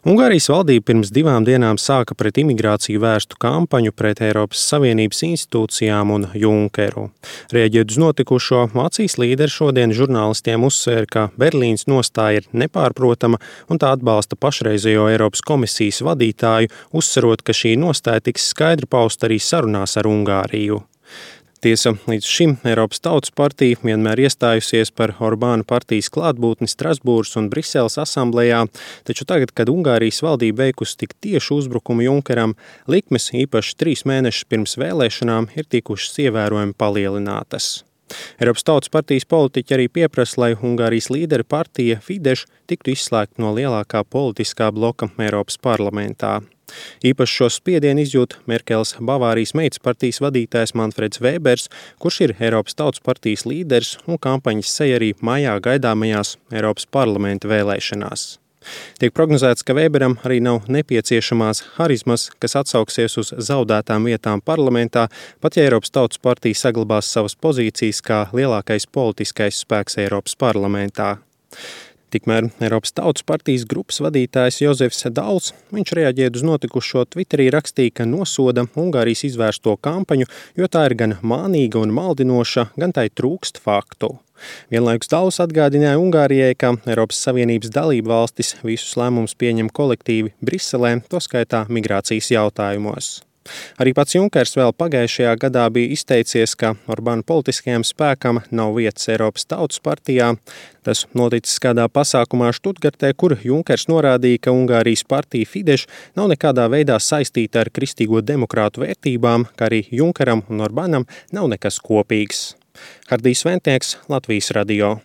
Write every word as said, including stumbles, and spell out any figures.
Ungārijas valdība pirms divām dienām sāka pret imigrāciju vērstu kampaņu pret Eiropas Savienības institūcijām un Junckeru. Rēģējot uz notikušo, Vācijas līderi šodien žurnālistiem uzsvēra, ka Berlīnas nostāja ir nepārprotama un tā atbalsta pašreizējo Eiropas komisijas vadītāju, uzsverot, ka šī nostāja tiks skaidri pausta arī sarunās ar Ungāriju. Tiesa, līdz šim Eiropas Tautas partija vienmēr iestājusies par Orbāna partijas klātbūtni Strasbūras un Briseles asamblejā, taču tagad, kad Ungārijas valdība veikusi tik tiešu uzbrukumu Junckeram, likmes īpaši trīs mēnešus pirms vēlēšanām ir tikušas ievērojami palielinātas. Eiropas Tautas partijas politiķi arī pieprasa, lai Ungārijas līdera partija Fidesz tiktu izslēgta no lielākā politiskā bloka Eiropas parlamentā. Īpaši šo spiedienu izjūt Merkeles Bavārijas meitas partijas vadītājs Manfreds Vēbers, kurš ir Eiropas Tautas partijas līderis un kampaņas seja arī maijā gaidāmajās Eiropas parlamenta vēlēšanās. Tiek prognozēts, ka Vēberam arī nav nepieciešamās harizmas, kas atsauksies uz zaudētām vietām parlamentā, pat ja Eiropas Tautas partija saglabās savas pozīcijas kā lielākais politiskais spēks Eiropas parlamentā. Tikmēr Eiropas Tautas partijas grupas vadītājs Jozefs Dauls, viņš reaģējot uz notikušo Twitterī rakstīja, ka nosoda Ungārijas izvērsto kampaņu, jo tā ir gan mānīga un maldinoša, gan tai trūkst faktu. Vienlaikus Dauls atgādināja Ungārijai, ka Eiropas Savienības dalību valstis visus lēmumus pieņem kolektīvi Briselē, to skaitā migrācijas jautājumos. Arī pats Junkers vēl pagājušajā gadā bija izteicies, ka Orbāna politiskajam spēkam nav vietas Eiropas Tautas partijā. Tas noticis kādā pasākumā Štutgartē, kur Junkers norādīja, ka Ungārijas partija Fidesz nav nekādā veidā saistīta ar kristīgo demokrātu vērtībām, ka arī Junkeram un Orbānam nav nekas kopīgs. Hardijs Ventnieks, Latvijas radio.